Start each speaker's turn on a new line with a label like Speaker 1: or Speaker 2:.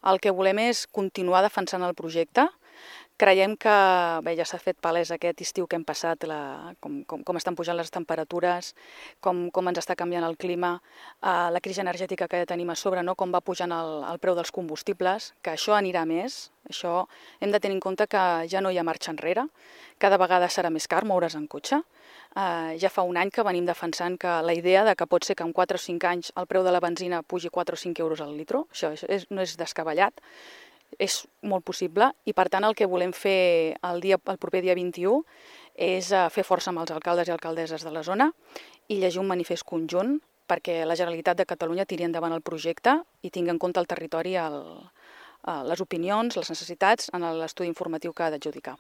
Speaker 1: El que volem és continuar defensant el projecte. Creiem que ja s'ha fet palès aquest estiu que hem passat, com estan pujant les temperatures, com ens està canviant el clima, la crisi energètica que ja tenim a sobre, no? Com va pujant el preu dels combustibles, que això anirà més. Això hem de tenir en compte que ja no hi ha marxa enrere, cada vegada serà més car moure's en cotxe. Ja fa un any que venim defensant que la idea de que pot ser que en 4 o 5 anys el preu de la benzina pugi 4 o 5 euros al litro, això no és descabellat, és molt possible, i per tant el que volem fer el proper dia 21 és fer força amb els alcaldes i alcaldesses de la zona i llegir un manifest conjunt perquè la Generalitat de Catalunya tiri endavant el projecte i tingui en compte el territori, les opinions, les necessitats en l'estudi informatiu que ha d'adjudicar.